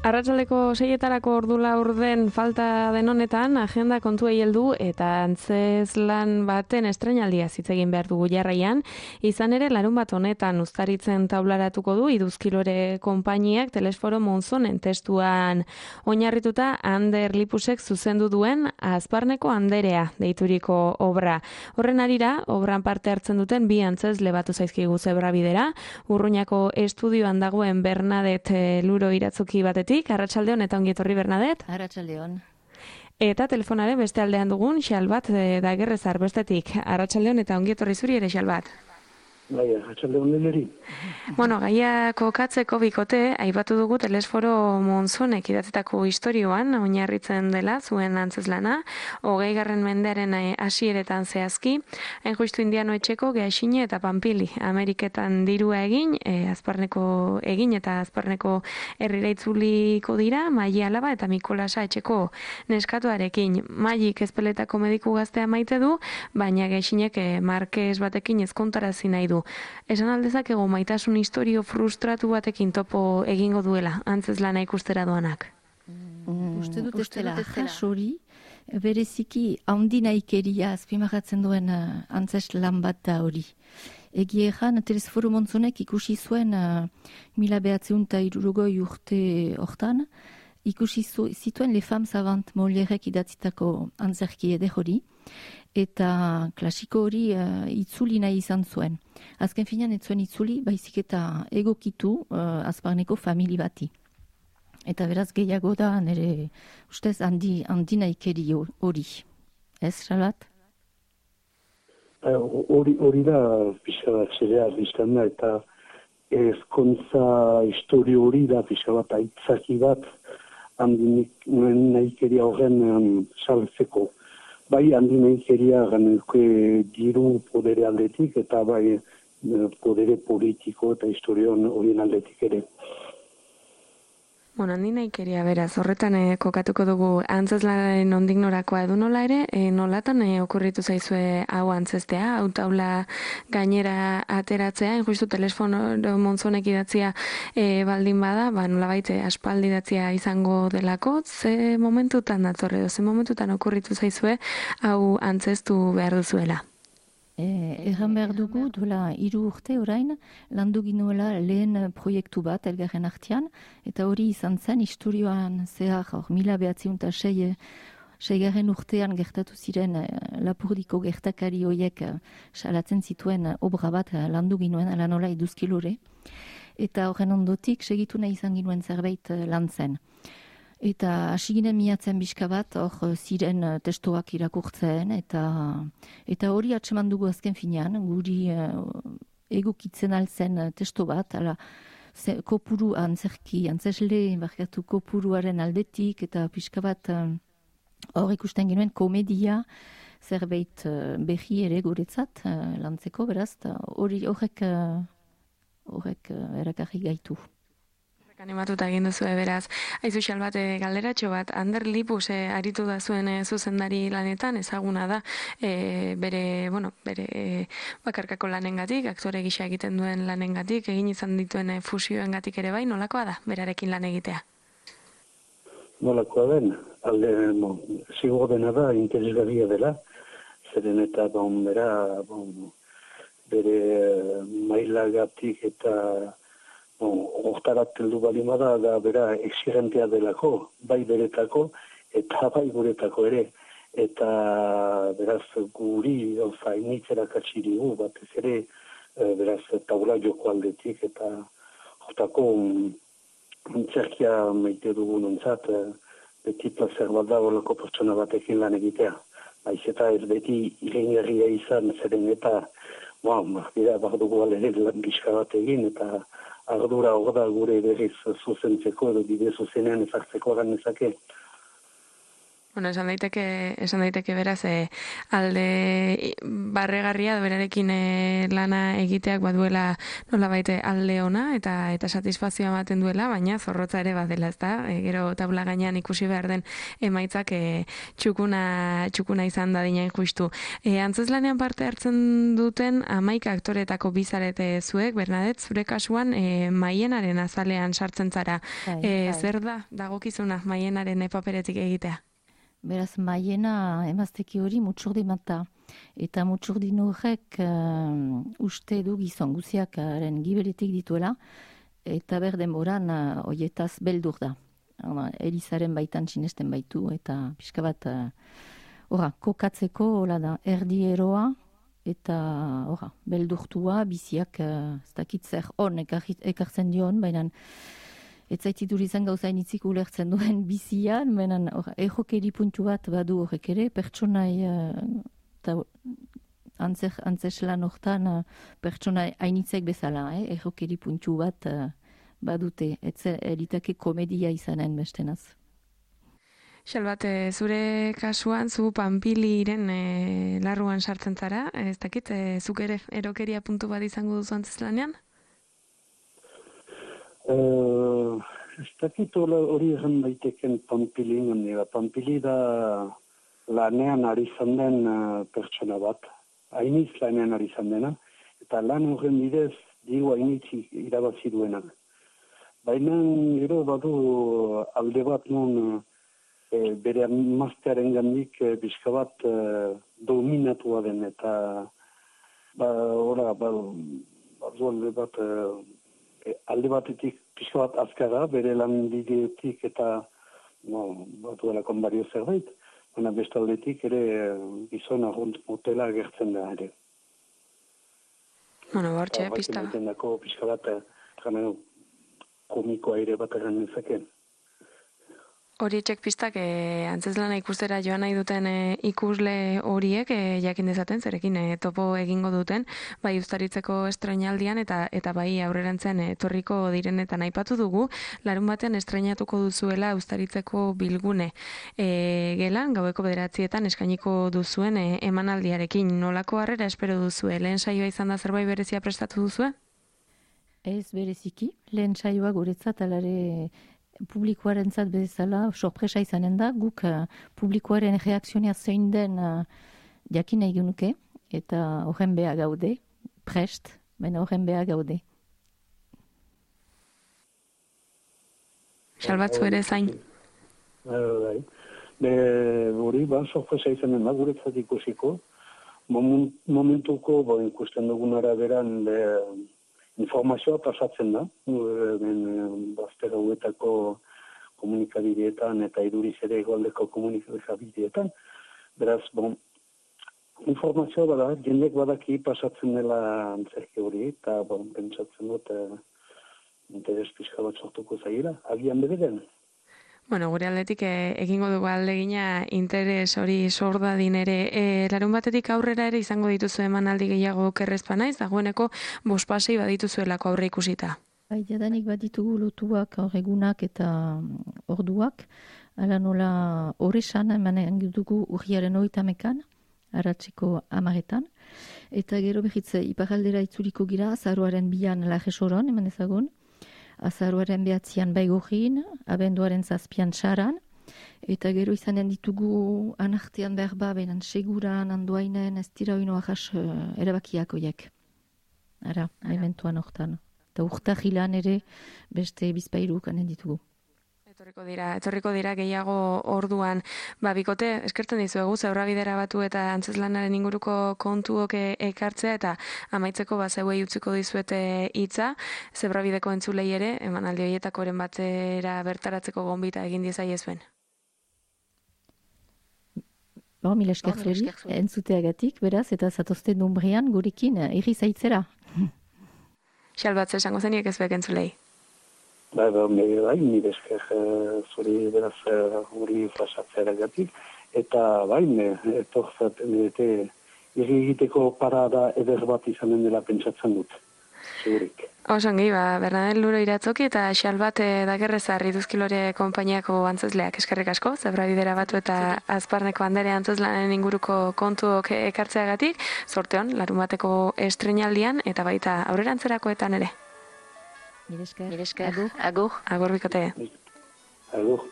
Arratsaldeko 6etarako ordu laurden falta den honetan, agenda kontuei heldu eta antzezlan baten estreinaldia hitz egin behar dugu jarraian. Izan ere, larunbat honetan uztaritzen taularatuko du Iduzkilore konpainiak Telesforo Monzonen testuan oinarrituta Ander Lipusek zuzendu duen Azparneko Anderea deituriko obra. Horren harira, obran parte hartzen duten bi antzezle batu zaizkigu Zebrabidera, Urruñako estudioan dagoen Bernadette Luro iratzoki batetik. Arratsaldeon eta ongi etorri Bernadette. Arratsaldeon. Eta telefonaren beste aldean dugun Xalbat Dagerrezar bestetik. Arratsaldeon eta ongi etorri zuri ere Xalbat. Bai, arratsaldeon deneri. Bueno, gaia kokatzeko bikote, aipatu dugu Telesforo Monzonek idatzitako istorioan oinarritzen dela zuen antzezlana, 20. mendearen hasieretan zehazki, hain justu indiano etxeko Gehaxine eta Panpili, Ameriketan dirua egin, Azparneko egin eta Azparneko herrira itzuliko dira, Maili alaba eta Mikolasa etxeko neskatuarekin. Mailik ezpeletako mediku gaztea maite du, baina Gehaxinek markes batekin ezkontarazi nahi du. Esan aldezakegu maitasun historio frustratu batekin topo egingo duela, antzezlana ikustera doanak. Uste dut ez dela jasori, bereziki handinaikeria azpimarratzen duen antzeslan bat da hori. Egia egan, Telesforo Monzonek ikusi zuen 1960 urte hortan, ikusi zituen Les Femmes Savantes Molièrek idatzitako antzerki eder hori, eta klasiko hori itzuli nahi izan zuen. Azken finean ez zuen itzuli, baizik eta egokitu Azparneko famili bati. Eta beraz gehiago da nire ustez handinaikeri hori. Ez, Xalbat? Hori da pixka bat zerea biztan da, eta ezkontza historio hori da pixka bat aitzaki bat handinaikeria horren saltzeko. Bai handinaikeria ganenuke diru podere aldetik eta bai podere politiko eta historion horien aldetik ere. Bueno, handinaikeria beraz, horretan kokatuko dugu antzezlanaren nondik norakoa edo nola ere, nolatan okurritu zaizue hau antzestea, hau taula gainera ateratzea, justu Telesforo Monzonek idatzia baldin bada, nolabait aspaldi idatzia izango delako, ze momentutan datorre edo, ze momentutan okurritu zaizue hau antzestu behar duzuela? Erran behar dugu, duela 3 urte orain, landu ginuela lehen proiektu bat elgarren artean, eta hori izan zen historioan zehar, 1906 urtean gertatu ziren Lapurdiko gertakari horiek salatzen zituen obra bat landu ginuen, ala nola Iduzkilore, eta horren ondotik segitu nahi izan ginuen zerbait lan zen. Eta hasi ginen miatzen bizka bat, hor ziren testoak irakurtzen, eta hori atseman dugu azken finean, guri egokitzen altzen testo bat, ala kopuru antzesle barkatu kopuruaren aldetik, eta bizka bat hor ikusten genuen komedia zerbait berri ere guretzat lantzeko, beraz, horrek erakarri gaitu. Animatuta egin duzu beraz. Aizu Xalbat galderatxo bat, Ander Lipus aritu da zuen zuzendari lanetan, ezaguna da, bere bakarkako lanengatik, aktore gisa egiten duen lanengatik, egin izan dituen fusioengatik ere bai, nolakoa da, berarekin lan egitea? Nolakoa den, zigur dena da, interesgarria dela, zeren eta bere mailagatik eta hortarat heldu balimada da bera exigentea delako, bai beretako eta bai guretako ere. Eta beraz guri initzera katxirigu, batez ere beraz taula joko aldetik eta hortako antzerkia maite dugun ontzat, beti plazer bat da horrelako pertsona batekin lan egitea. Baiz eta ez beti irengarria izan, zeren eta behar dugu alere lan gizka bat egin, eta ardura hor da gure berriz zuzentzeko edo bide zuzenean ezartzeko egan nezake. Bueno, esan daiteke beraz, alde barregarria berarekin lana egiteak baduela nolabait alde ona eta satisfazioa ematen duela, baina zorrotza ere badela, ezta? Gero taula gainean ikusi behar den emaitzak txukuna izan dadina justu. Antzezlanean parte hartzen duten 11 aktoretako bizarete zuek, Bernadette, zure kasuan Maienaren azalean sartzen zara. Zer da dagokizuna Maienaren paperetik egitea? Beraz, Maiena emazteki hori mutxurdi mata. Eta mutxurdin horrek uste du gizon guziakaren gibeletik dituela, eta berdenboran hoietaz beldur da. Elizaren baitan sinesten baitu, eta pixka bat kokatzeko hola da, erdi eroa, eta beldurtua, biziak ez dakit zer hon ekartzen dion, baina ez zaititur izan gauzain itzik ulertzen duen bizian, baina ejokeri puntu bat badu horrek ere, pertsonai antzeslan hortan pertsonai hainitzek bezala, ejokeri puntu bat badute, ez eritake komedia izanen bestenaz. Xalbat, zure kasuan, zu Panpiliren larruan sartzen zara, ez dakit, zuk ere erokeria puntu bat izango duzu antzezlanean? Ez dakit hori egin daiteken Panpili, Panpili da lanean ari izan den pertsona bat, hainiz lanean ari izan dena, eta lan horren bidez diru hainitz irabazi duena. Baina gero badu alde bat non bere emaztearen gandik bizka bat dominatua den, eta alde batetik pixka bat azkara, bere lan bideotik eta batuela konbario zerbait, baina bestaldetik ere gizon arrunt motela agertzen da ere. Bueno, bortxe, pista. Pixka bat komikoa ere bat egan nezakeen. Hori txek pistak antzezlana ikustera joan nahi duten ikusle horiek jakin dezaten, zerekin topo egingo duten, bai Uztaritzeko estreinaldian eta bai aurrerantzen etorriko direnetan aipatu dugu, larun batean estreinatuko duzuela Uztaritzeko bilgune gelan, gaueko 9:00 eskainiko duzuen emanaldiarekin. Nolako harrera espero duzue? Lehen saioa izan da zerbait berezia prestatu duzue? Ez bereziki, lehen saioa guretzat alare publikoaren zat bezala sorpresa izanen da, guk publikoaren reakzionia zein den jakin nahi genuke, eta horren beha gaude, prest, baina horren beha gaude. Salbatzu ere zain. Hori, sorpresa izanen da, guretzat ikusiko. Momentuko, ikusten dugun araberan, informazioa pasatzen da, baztera huetako komunikabideetan eta iduriz ere egoaldeko komunikabideetan. Beraz, informazioa bada, jendek badaki pasatzen dela antzerki hori, eta pentsatzen dut interes pixka bat sortuko zaila, agian bederen. Bueno, gure aldetik egingo dugu aldegina interes hori sor dadin ere. Larun batetik aurrera ere izango dituzu emanaldi gehiago kerrezpa naiz, dagoeneko 5 pasei badituzuelako aurre ikusita. Bai, jadanik baditugu lotuak egunak eta orduak, ala nola horresan emanen dugu urriaren 30ean, aratzeko 10etan, eta gero behitze iparaldera itzuliko gira, azaroaren 2an Lajesoron, eman ezagun, azaroaren 9an Baigorrin, abenduaren 7an Saran, eta gero izanen ditugu anartean berba, benan seguran, andoainen, ez dira oino ahas erabakiak oiek. Ara, eventuan hortan. Eta urtahilan ere beste bizpairu kanen ditugu. Etorriko dira gehiago orduan. Bikote, eskertzen dizuegu, Zebrabidera batu eta antzezlanaren inguruko kontuok ekartzea eta amaitzeko zeuei utziko dizuete hitza. Zebrabideko entzulei ere, emanaldi horietakoren batera bertaratzeko gonbita egin diezaiezuen. Mil esker zuri, entzuteagatik, beraz, eta zatozten Dumbrian gurekin irri zaitzera. Xalbatze esango zeniek ez bek entzulei. Nire esker zuri beraz hori fasatzeagatik, eta etorzaten egiteko parada eder bat izanen dela pentsatzen dut. Zurik. Osongi, Bernadel Luro Iratzoki eta Xalbat Dagerrezar Iduzkilore konpainiako antzezleak eskerrik asko, Zebra Bidera Batu eta Azparneko Andere antzezlanen inguruko kontuok ekartzeagatik, sorteon, larun bateko estrenaldian eta baita aurrerantzerakoetan ere. Mire esker. Agur. Agur bikote. Agur.